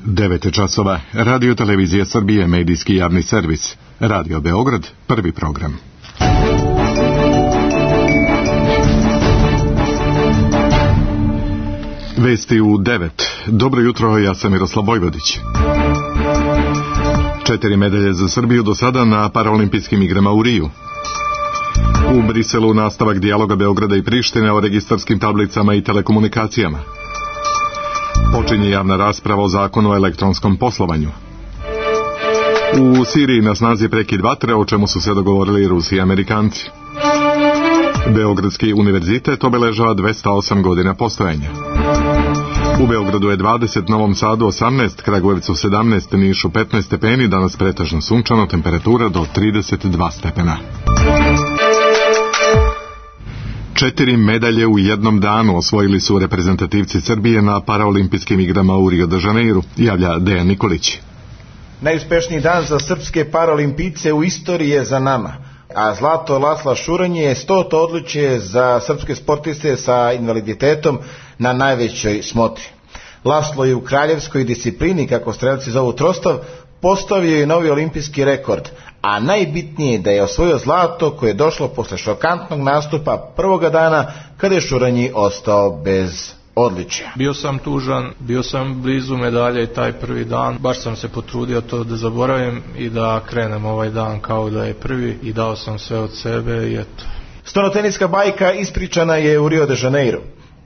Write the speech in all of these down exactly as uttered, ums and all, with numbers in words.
devet časova. Radio Televizija Srbije, medijski javni servis. Radio Beograd, prvi program. Vesti u devet. Dobro jutro, ja sam Miroslav Vojvodić. Četiri medalje za Srbiju do sada na paraolimpijskim igrama u Riju. U Briselu nastavak dijaloga Beograda i Prištine o registarskim tablicama i telekomunikacijama. Počinje javna rasprava o zakonu o elektronskom poslovanju. U Siriji na snazi prekid vatre, o čemu su se dogovorili Rusi i Amerikanci. Beogradski univerzitet obeležava dvesta osam godina postojanja. U Beogradu je dvadeset, Novom Sadu osamnaest, Kragujevcu sedamnaest, Nišu petnaest stepeni, danas pretežno sunčano, temperatura do trideset dva stepena. Četiri medalje u jednom danu osvojili su reprezentativci Srbije na paraolimpijskim igrama u Rio de Janeiru, javlja Dejan Nikolić. Najuspešniji dan za srpske paraolimpijce u istoriji je za nama, a zlato Lasla Šuranje je stoto odličje za srpske sportiste sa invaliditetom na najvećoj smotri. Laslo je u kraljevskoj disciplini, kako strelci zovu trostav, postavio je novi olimpijski rekord, a najbitnije je da je osvojio zlato koje je došlo posle šokantnog nastupa prvoga dana kada je Šuranji ostao bez odličja. Bio sam tužan, bio sam blizu medalje i taj prvi dan, baš sam se potrudio to da zaboravim i da krenem ovaj dan kao da je prvi i dao sam sve od sebe i eto. Stonoteniska bajka ispričana je u Rio de Janeiru.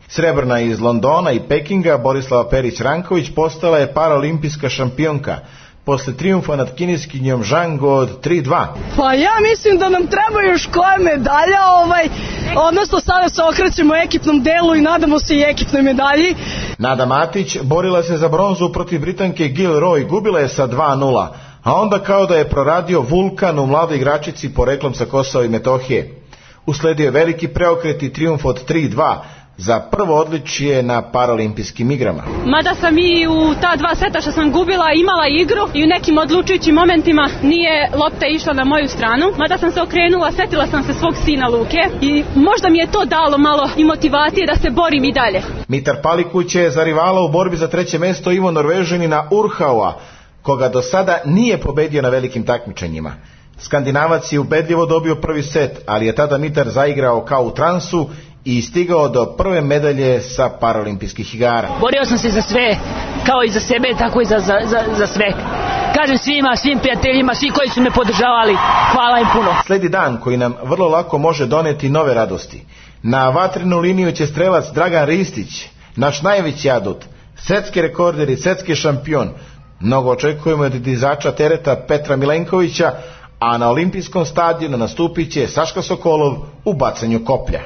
Srebrna iz Londona i Pekinga Borislava Perić-Ranković postala je paraolimpijska šampionka posle trijumfa nad kineskinjom Zhang od tri dva. Pa ja mislim da nam treba još koja medalja, ovaj, odnosno sada se okrećemo ekipnom delu i nadamo se i ekipnoj medalji. Nada Matić borila se za bronzu protiv Britanke Gil Roy, gubila je sa dva nula, a onda kao da je proradio vulkan u mladoj igračici poreklom sa Kosova i Metohije. Usledio je veliki preokret i trijumf od tri dva za prvo odličje na paraolimpijskim igrama. Mada sam i u ta dva seta što sam gubila imala igru i u nekim odlučujućim momentima nije lopta išla na moju stranu, mada sam se okrenula, setila sam se svog sina Luke i možda mi je to dalo malo i motivacije da se borim i dalje. Mitar Palikuć je za rivala u borbi za treće mesto Ivo Norvežanina Urhaua, koga do sada nije pobedio na velikim takmičenjima. Skandinavac je ubedljivo dobio prvi set, ali je tada Mitar zaigrao kao u transu i stigao do prve medalje sa paraolimpijskih igara. Borio sam se za sve, kao i za sebe, tako i za, za, za, za sve. Kažem svima, svim prijateljima, svi koji su me podržavali, hvala im puno. Sledi dan koji nam vrlo lako može doneti nove radosti. Na vatrenu liniju će strelac Dragan Ristić, naš najveći adut, svetski rekorder i svetski šampion. Mnogo očekujemo od dizača tereta Petra Milenkovića, a na olimpijskom stadionu nastupit će Saška Sokolov u bacanju koplja.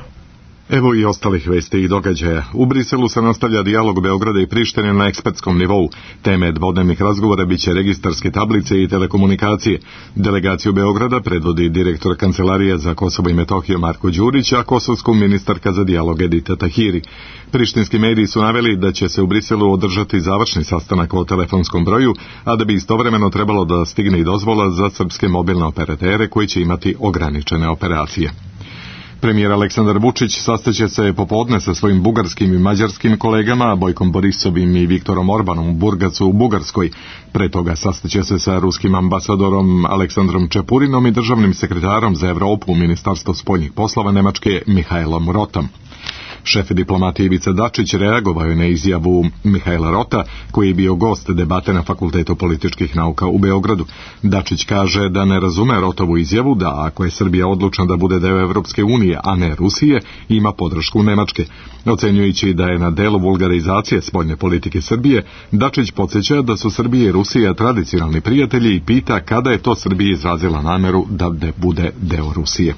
Evo i ostalih vesti i događaja. U Briselu se nastavlja dijalog Beograda i Prištine na ekspertskom nivou. Teme dvodnevnih razgovora biće registarske tablice i telekomunikacije. Delegaciju Beograda predvodi direktor Kancelarije za Kosovo i Metohiju Marko Đurić, a kosovsku ministarka za dijalog Edita Tahiri. Prištinski mediji su naveli da će se u Briselu održati završni sastanak o telefonskom broju, a da bi istovremeno trebalo da stigne i dozvola za srpske mobilne operatere koji će imati ograničene operacije. Premijer Aleksandar Vučić sastaće se popodne sa svojim bugarskim i mađarskim kolegama Bojkom Borisovim i Viktorom Orbanom u Burgasu u Bugarskoj. Pre toga sastaće se sa ruskim ambasadorom Aleksandrom Čepurinom i državnim sekretarom za Evropu u Ministarstvu spoljnih poslova Nemačke Mihajlom Rotom. Šef diplomatije Ivica Dačić reagovao je na izjavu Mihajla Rota, koji je bio gost debate na Fakultetu političkih nauka u Beogradu. Dačić kaže da ne razume Rotovu izjavu da ako je Srbija odlučna da bude deo Evropske unije, a ne Rusije, ima podršku Nemačke. Ocenjujući da je na delu vulgarizacije spoljne politike Srbije, Dačić podsjeća da su Srbija i Rusija tradicionalni prijatelji i pita kada je to Srbija izrazila nameru da bude deo Rusije.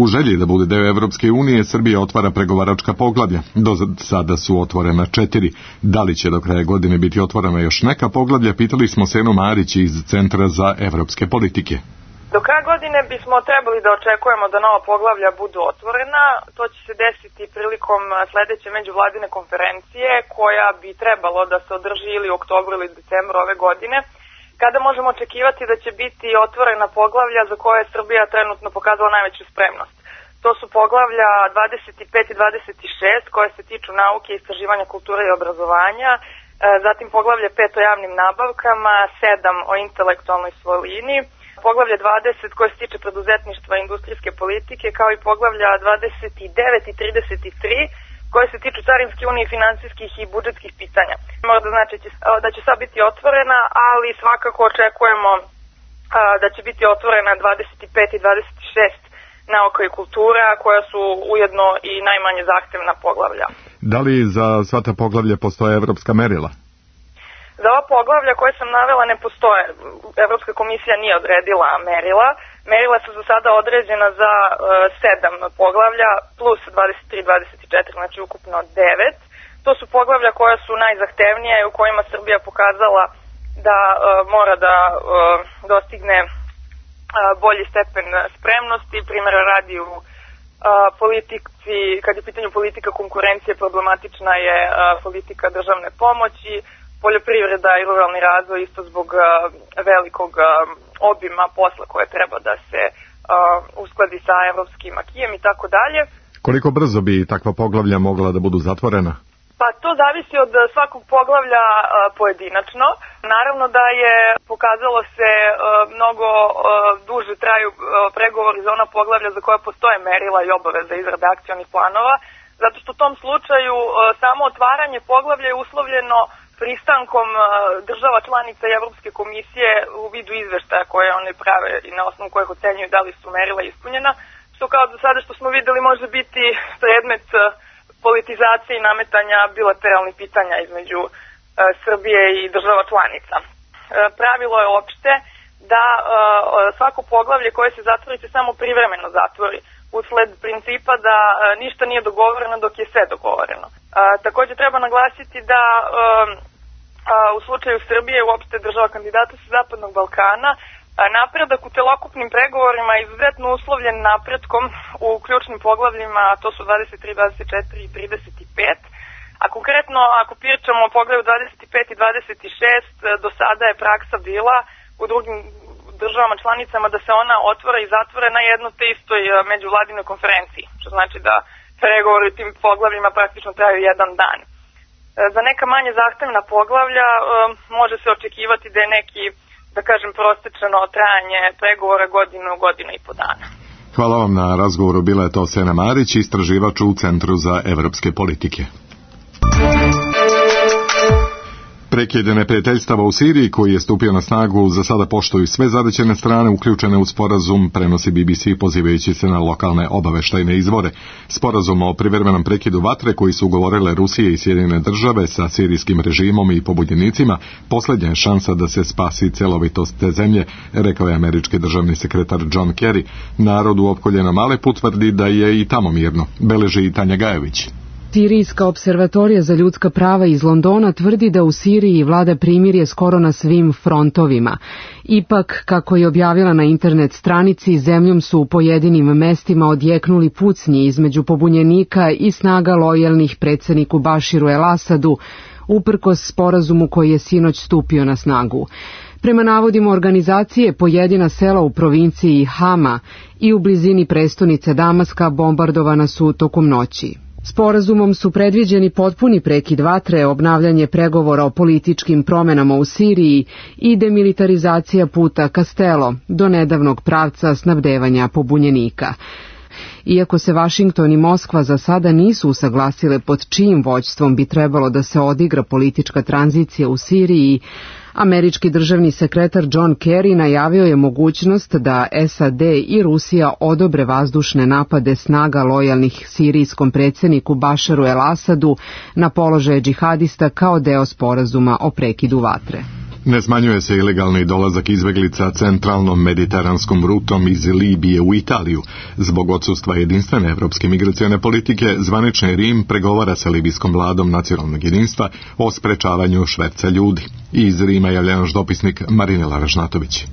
U želji da bude deo Evropske unije, Srbija otvara pregovaračka poglavlja. Do sada su otvorena četiri. Da li će do kraja godine biti otvorena još neka poglavlja, pitali smo Senu Marić iz Centra za evropske politike. Do kraja godine bismo trebali da očekujemo da nova poglavlja budu otvorena. To će se desiti prilikom sledeće međuvladine konferencije, koja bi trebalo da se održi ili u oktobru ili decembru ove godine, kada možemo očekivati da će biti otvorena poglavlja za koje je Srbija trenutno pokazala najveću spremnost. To su poglavlja dvadeset pet i dvadeset šest koje se tiču nauke, istraživanja, kulture i obrazovanja, zatim poglavlje pet o javnim nabavkama, sedam o intelektualnoj svojini, poglavlje dvadeset koje se tiče preduzetništva i industrijske politike, kao i poglavlja dvadeset devet i trideset tri koje se tiču carinske unije, finansijskih i budžetskih pitanja. Mora da znači da će sad biti otvorena, ali svakako očekujemo da će biti otvorena dvadeset pet i dvadeset šest nauka i kultura, koja su ujedno i najmanje zahtevna poglavlja. Da li za sva ta poglavlja postoje evropska merila? Za ova poglavlja koje sam navela ne postoje. Evropska komisija nije odredila merila. Merila su za sada određena za uh, sedam poglavlja plus dvadeset tri dvadeset četiri, znači ukupno devet. To su poglavlja koja su najzahtevnija i u kojima Srbija pokazala da uh, mora da uh, dostigne uh, bolji stepen spremnosti. Primjera radi u uh, politici, kad je pitanje politika konkurencije, problematična je uh, politika državne pomoći, poljoprivreda i ruralni razvoj isto zbog uh, velikog uh, obima posla koje treba da se uh, uskladi sa evropskim akijem i tako dalje. Koliko brzo bi takva poglavlja mogla da budu zatvorena? Pa to zavisi od svakog poglavlja uh, pojedinačno. Naravno da je pokazalo se uh, mnogo uh, duže traju uh, pregovori za ona poglavlja za koja postoje merila i obaveza izrade akcionih planova, zato što u tom slučaju uh, samo otvaranje poglavlja je uslovljeno pristankom država članica i Evropske komisije u vidu izveštaja koje one prave i na osnovu kojih ocenjuju da li su merila ispunjena, što kao do sada što smo videli može biti predmet politizacije i nametanja bilateralnih pitanja između e, Srbije i država članica. E, pravilo je opšte da e, svako poglavlje koje se zatvori se samo privremeno zatvori, usled principa da e, ništa nije dogovoreno dok je sve dogovoreno. E, također treba naglasiti da e, a, u slučaju Srbije i uopšte država kandidata sa Zapadnog Balkana a, napredak u celokupnim pregovorima je izuzetno uslovljen napretkom u ključnim poglavljima, to su dvadeset tri, dvadeset četiri i trideset pet. A konkretno ako pričamo o poglavlju dvadeset pet i dvadeset šest, do sada je praksa bila u drugim državama članicama da se ona otvora i zatvore na jednoj te istoj međuvladinoj konferenciji, što znači da pregovori u tim poglavljima praktično traju jedan dan. Za neka manje zahtevna poglavlja može se očekivati da je neki, da kažem, prostečeno trajanje pregovora godinu, godinu i po dana. Hvala vam na razgovoru. Bila je to Sena Marić, istraživač u Centru za evropske politike. Prekid neprijateljstava u Siriji, koji je stupio na snagu, za sada poštuju sve zadaćene strane uključene u sporazum, prenosi B B C pozivajući se na lokalne obaveštajne izvore. Sporazum o privremenom prekidu vatre koji su ugovorile Rusije i Sjedinjene države sa sirijskim režimom i pobunjenicima, posljednja je šansa da se spasi celovitost te zemlje, rekao je američki državni sekretar John Kerry. Narod u opkoljenom Alepu tvrdi da je i tamo mirno, beleži i Tanja Gajević. Sirijska observatorija za ljudska prava iz Londona tvrdi da u Siriji vlada primirje skoro na svim frontovima. Ipak, kako je objavila na internet stranici, zemljom su u pojedinim mestima odjeknuli pucnji između pobunjenika i snaga lojalnih predsjedniku Baširu el-Asadu, uprkos sporazumu koji je sinoć stupio na snagu. Prema navodima organizacije, pojedina sela u provinciji Hama i u blizini prestonice Damaska bombardovana su tokom noći. Sporazumom su predviđeni potpuni prekid vatre, obnavljanje pregovora o političkim promenama u Siriji i demilitarizacija puta Castello, do nedavnog pravca snabdevanja pobunjenika. Iako se Vašington i Moskva za sada nisu usaglasile pod čijim vođstvom bi trebalo da se odigra politička tranzicija u Siriji, američki državni sekretar John Kerry najavio je mogućnost da S A D i Rusija odobre vazdušne napade snaga lojalnih sirijskom predsjedniku Bašaru el-Asadu na položaje džihadista kao deo sporazuma o prekidu vatre. Ne smanjuje se ilegalni dolazak izbeglica centralnom mediteranskom rutom iz Libije u Italiju. Zbog odsustva jedinstvene evropske migracione politike, zvanični Rim pregovara sa libijskom vladom nacionalnog jedinstva o sprečavanju šverca ljudi. Iz Rima javlja naš dopisnik Marinela Ražnatović.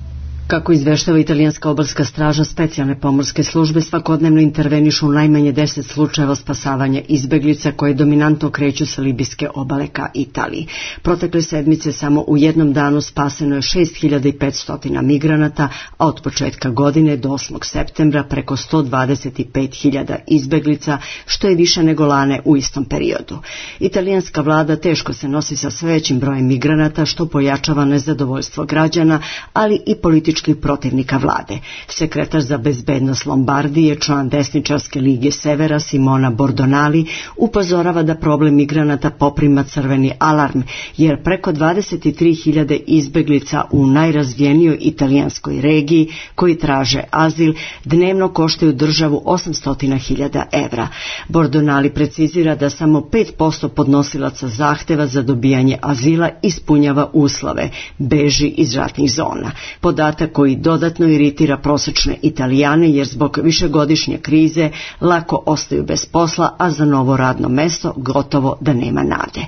Kako izveštava italijanska obalska straža, specijalne pomorske službe svakodnevno intervenišu u najmanje deset slučajeva spasavanja izbeglica koje dominantno kreću sa libijske obale ka Italiji. Protekle sedmice samo u jednom danu spaseno je šest hiljada petsto migranata, a od početka godine do osmog septembra preko sto dvadeset pet hiljada izbeglica, što je više nego lane u istom periodu. Italijanska vlada teško se nosi sa sve većim brojem migranata, što pojačava nezadovoljstvo građana, ali i političkih protivnika vlade. Sekretar za bezbednost Lombardije, član desničarske lige Severa Simona Bordonali, upozorava da problem migranata poprima crveni alarm, jer preko dvadeset tri hiljade izbeglica u najrazvijenijoj italijanskoj regiji koji traže azil dnevno koštaju državu osamsto hiljada evra. Bordonali precizira da samo pet posto podnosilaca zahteva za dobijanje azila ispunjava uslove, beži iz ratnih zona. Podatak koji dodatno iritira prosečne Italijane, jer zbog višegodišnje krize lako ostaju bez posla, a za novo radno mesto gotovo da nema nade.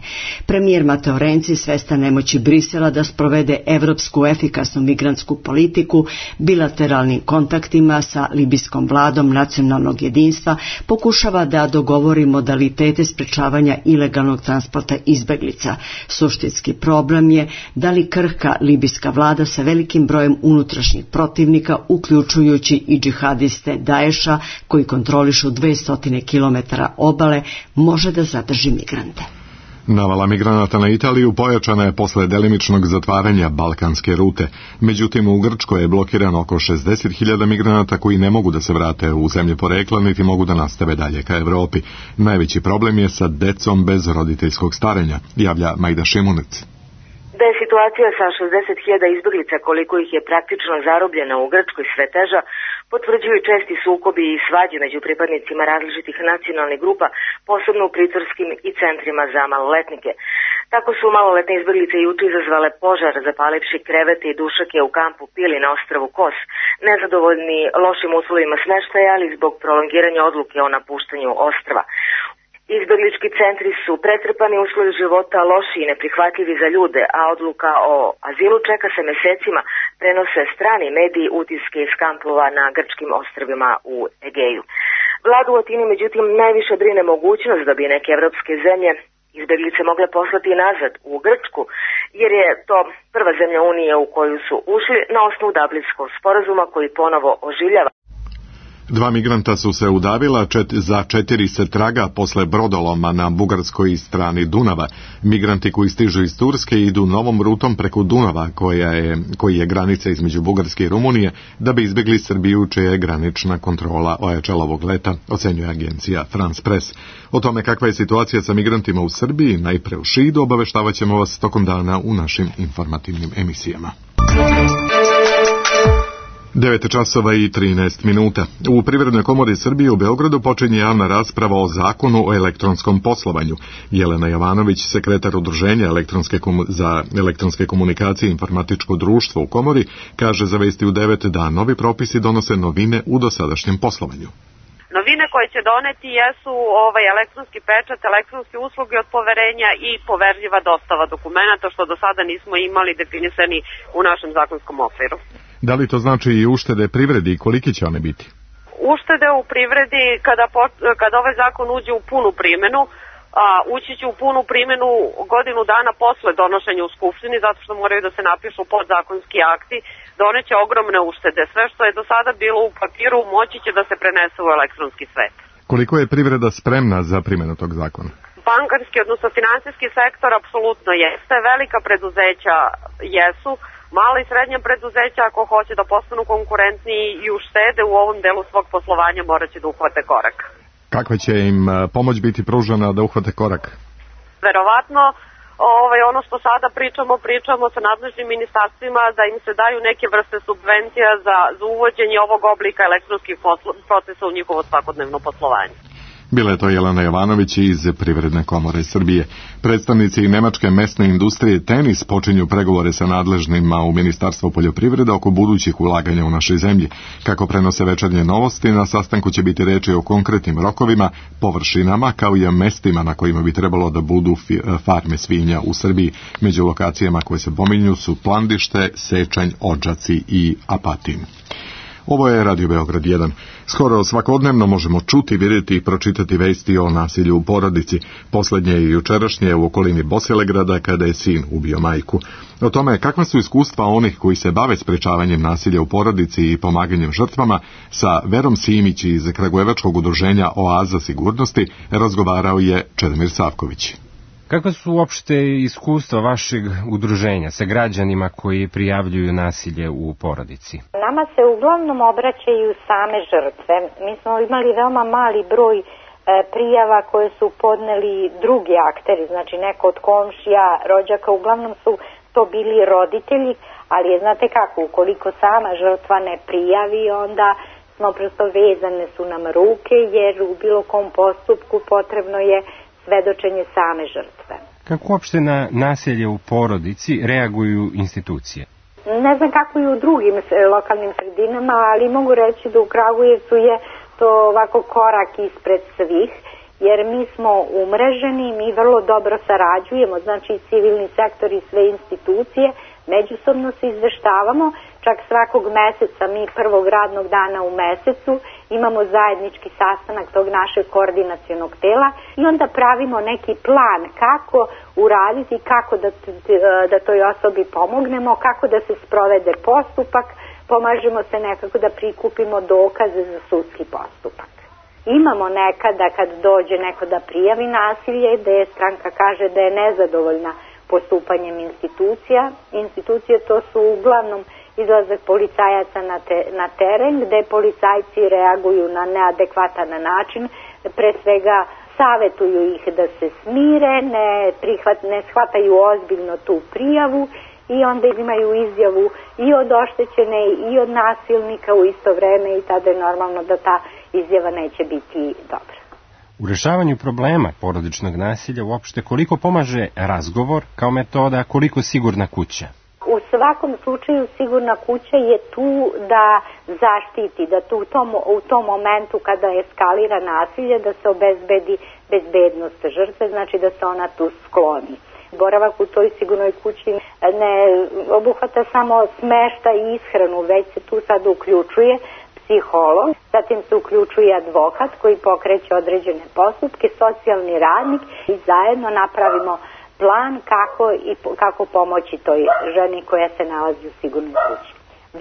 Premijer Matteo Renzi, svestan nemoći Brisela da sprovede evropsku efikasnu migrantsku politiku, bilateralnim kontaktima sa libijskom vladom nacionalnog jedinstva pokušava da dogovori modalitete sprečavanja ilegalnog transporta izbeglica. Suštinski problem je da li krhka libijska vlada sa velikim brojem unutrašnjih protivnika, uključujući i džihadiste Daesha koji kontrolišu dvesta kilometara obale, može da zadrži migrante. Navala migranata na Italiju pojačana je posle delimičnog zatvaranja balkanske rute. Međutim, u Grčkoj je blokirano oko šezdeset hiljada migranata koji ne mogu da se vrate u zemlje porekla, niti mogu da nastave dalje ka Evropi. Najveći problem je sa decom bez roditeljskog starenja, javlja Majda Šimunec. Da je situacija sa šezdeset hiljada izbeglica, koliko ih je praktično zarobljena u Grčkoj, sve teža, potvrđuju česti sukobi i svađe među pripadnicima različitih nacionalnih grupa, posebno u pritvorskim i centrima za maloletnike. Tako su maloletne izbeglice juče izazvale požar, zapalivši krevete i dušake u kampu Pili na ostrvu Kos, nezadovoljni lošim uslovima smeštaja, ali zbog prolongiranja odluke o napuštanju ostrva. Izbeglički centri su pretrpani, uslovi života loši i neprihvatljivi za ljude, a odluka o azilu čeka se mesecima, prenose strani mediji utiske iz kampova na grčkim ostrvima u Egeju. Vladu u Atini međutim najviše brine mogućnost da bi neke evropske zemlje izbeglice mogle poslati nazad u Grčku, jer je to prva zemlja Unije u koju su ušli na osnovu Dublinskog sporazuma koji ponovo oživljava. Dva migranta su se udavila, čet, za četiri se traga posle brodoloma na bugarskoj strani Dunava. Migranti koji stižu iz Turske idu novom rutom preko Dunava, koja je, koji je granica između Bugarske i Rumunije, da bi izbjegli Srbiju, čija je granična kontrola ojačala ovog leta, ocenjuje agencija France Press. O tome kakva je situacija sa migrantima u Srbiji, najpre u Šidu, obaveštavat ćemo vas tokom dana u našim informativnim emisijama. devet časova i trinaest minuta. U Privrednoj komori Srbije u Beogradu počinje javna rasprava o zakonu o elektronskom poslovanju. Jelena Jovanović, sekretar Udruženja elektronske komu- za elektronske komunikacije i informatičko društvo u komori, kaže za Vesti u devet da novi propisi donose novine u dosadašnjem poslovanju. Novine koje će doneti jesu ovaj elektronski pečat, elektronske usluge od poverenja i poverljiva dostava dokumenta, što do sada nismo imali definisani u našem zakonskom okviru. Da li to znači i uštede privredi i koliki će one biti? Uštede u privredi kada, kada ovaj zakon uđe u punu primjenu, a, ući će u punu primjenu godinu dana posle donošenja u Skupštini, zato što moraju da se napišu podzakonski akti, doneće ogromne uštede. Sve što je do sada bilo u papiru moći će da se prenese u elektronski svet. Koliko je privreda spremna za primjenu tog zakona? Bankarski, odnosno finansijski sektor, apsolutno jeste. Velika preduzeća jesu. Mala i srednja preduzeća, ako hoće da postanu konkurentniji i uštede u ovom delu svog poslovanja, morat će da uhvate korak. Kakva će im pomoć biti pružena da uhvate korak? Verovatno, ovaj, ono što sada pričamo, pričamo sa nadležnim ministarstvima da im se daju neke vrste subvencija za, za uvođenje ovog oblika elektronskih poslo, procesa u njihovo svakodnevno poslovanje. Bila je to Jelena Jovanović iz Privredne komore Srbije. Predstavnici nemačke mesne industrije Tenis počinju pregovore sa nadležnima u Ministarstvu poljoprivrede oko budućih ulaganja u našoj zemlji. Kako prenose Večernje novosti, na sastanku će biti reči o konkretnim rokovima, površinama, kao i o mestima na kojima bi trebalo da budu farme svinja u Srbiji. Među lokacijama koje se pominju su Plandište, Sečanj, Odžaci i Apatin. Ovo je Radio Beograd jedan. Skoro svakodnevno možemo čuti, vidjeti i pročitati vesti o nasilju u porodici. Poslednje i jučerašnje u okolini Bosilegrada kada je sin ubio majku. O tome kakva su iskustva onih koji se bave sprečavanjem nasilja u porodici i pomaganjem žrtvama sa Verom Simić iz Kragujevačkog udruženja Oaza sigurnosti razgovarao je Čedomir Savković. Kakva su uopšte iskustva vašeg udruženja sa građanima koji prijavljuju nasilje u porodici? Nama se uglavnom obraćaju same žrtve. Mi smo imali veoma mali broj e, prijava koje su podneli drugi akteri, znači neko od komšija, rođaka, uglavnom su to bili roditelji, ali je, znate kako, ukoliko sama žrtva ne prijavi, onda smo prosto vezane su nam ruke, jer u bilo kom postupku potrebno je svedočenje same žrtve. Kako uopšte na nasilje u porodici reaguju institucije? Ne znam kako i u drugim lokalnim sredinama, ali mogu reći da u Kragujevcu je to ovako korak ispred svih, jer mi smo umreženi, mi vrlo dobro sarađujemo, znači civilni sektor i sve institucije, međusobno se izveštavamo, čak svakog meseca, mi prvog radnog dana u mesecu, imamo zajednički sastanak tog našeg koordinacionog tela i onda pravimo neki plan kako uraditi, kako da, da toj osobi pomognemo, kako da se sprovede postupak, pomažemo se nekako da prikupimo dokaze za sudski postupak. Imamo nekada kad dođe neko da prijavi nasilje, da je stranka kaže da je nezadovoljna postupanjem institucija. Institucije to su uglavnom izlazak policajaca na, te, na teren, gde policajci reaguju na neadekvatan način, pre svega savetuju ih da se smire, ne, prihvat, ne shvataju ozbiljno tu prijavu i onda imaju izjavu i od oštećene i od nasilnika u isto vreme i tada je normalno da ta izjava neće biti dobra. U rešavanju problema porodičnog nasilja uopšte koliko pomaže razgovor kao metoda, koliko sigurna kuća? U svakom slučaju sigurna kuća je tu da zaštiti, da tu u tom, u tom momentu kada eskalira nasilje da se obezbedi bezbednost žrtve, znači da se ona tu skloni. Boravak u toj sigurnoj kući ne obuhvata samo smeštaj i ishranu, već se tu sad uključuje psiholog, zatim se uključuje advokat koji pokreće određene postupke, socijalni radnik i zajedno napravimo plan kako, i, kako pomoći toj ženi koja se nalazi u sigurnoj kući.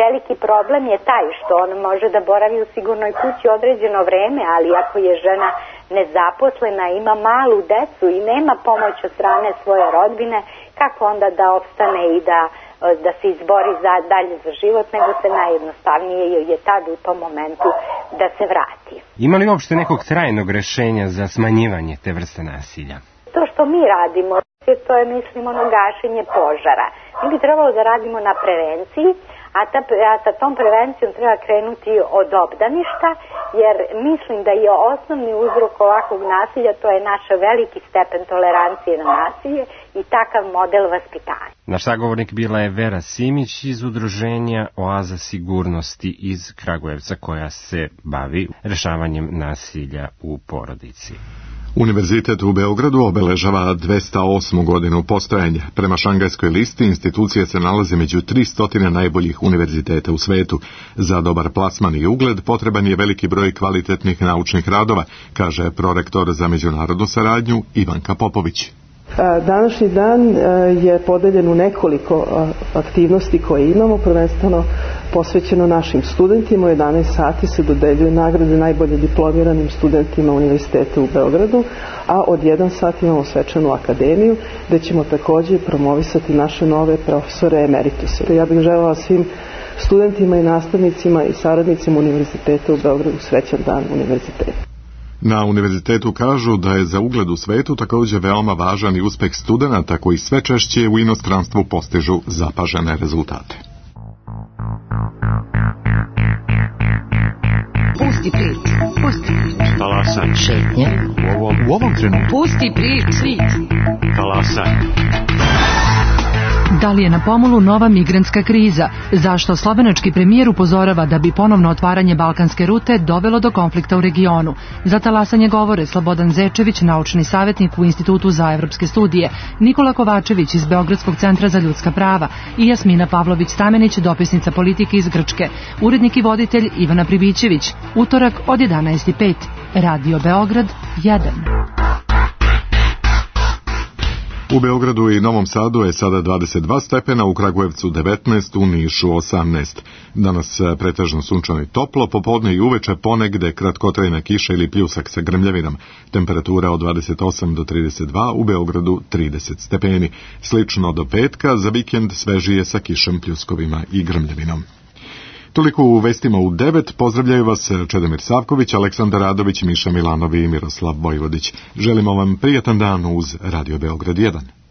Veliki problem je taj što on može da boravi u sigurnoj kući određeno vreme, ali ako je žena nezaposlena, ima malu decu i nema pomoć od strane svoje rodbine, kako onda da opstane i da, da se izbori za, dalje za život, nego se najjednostavnije je tad u tom momentu da se vrati. Ima li uopšte nekog trajnog rešenja za smanjivanje te vrste nasilja? To što mi radimo, to je, mislim, ono gašenje požara. Mi bi trebalo da radimo na prevenciji, a, ta, a sa tom prevencijom treba krenuti od obdaništa, jer mislim da je osnovni uzrok ovakvog nasilja, to je naš veliki stepen tolerancije na nasilje i takav model vaspitanja. Naš sagovornik bila je Vera Simić iz udruženja Oaza sigurnosti iz Kragujevca koja se bavi rešavanjem nasilja u porodici. Univerzitet u Beogradu obeležava dvesta osmu godinu postojanja. Prema šangajskoj listi institucija se nalazi među tristo najboljih univerziteta u svetu. Za dobar plasman i ugled potreban je veliki broj kvalitetnih naučnih radova, kaže prorektor za međunarodnu saradnju Ivanka Popović. Današnji dan je podeljen u nekoliko aktivnosti koje imamo, prvenstveno posvećeno našim studentima. U jedanaest sati se dodeljuju nagrade najbolje diplomiranim studentima Univerziteta u Beogradu, a od jedan sat imamo svečanu akademiju gde ćemo takođe promovisati naše nove profesore emerituse. Ja bih želela svim studentima i nastavnicima i saradnicima Univerziteta u Beogradu srećan dan univerziteta. Na univerzitetu kažu da je za ugled u svetu također veoma važan i uspeh studenata koji sve češće u inostranstvu postižu zapažene rezultate. Pusti priču, pusti priču. Talasan, Šetnje. U ovom, u ovom trenutku. Pusti priči. Talasa. Da li je na pomolu nova migrantska kriza? Zašto slovenački premijer upozorava da bi ponovno otvaranje balkanske rute dovelo do konflikta u regionu? Za talasanje govore Slobodan Zečević, naučni savjetnik u Institutu za evropske studije, Nikola Kovačević iz Beogradskog centra za ljudska prava i Jasmina Pavlović-Stamenić, dopisnica politike iz Grčke. Urednik i voditelj Ivana Pribićević. Utorak od jedanaest i pet. Radio Beograd jedan. U Beogradu i Novom Sadu je sada dvadeset dva stepena, u Kragujevcu devetnaest, u Nišu osamnaest. Danas pretežno sunčano i toplo, popodne i uveče ponegde kratkotrajna kiša ili pljusak sa grmljavinom. Temperatura od dvadeset osam do trideset dva, u Beogradu trideset stepeni. Slično do petka, za vikend svežije sa kišem, pljuskovima i grmljavinom. Toliko u vestima u devet. Pozdravljaju vas Čedomir Savković, Aleksandar Radović, Miša Milanovi i Miroslav Vojvodić. Želimo vam prijatan dan uz Radio Beograd jedan.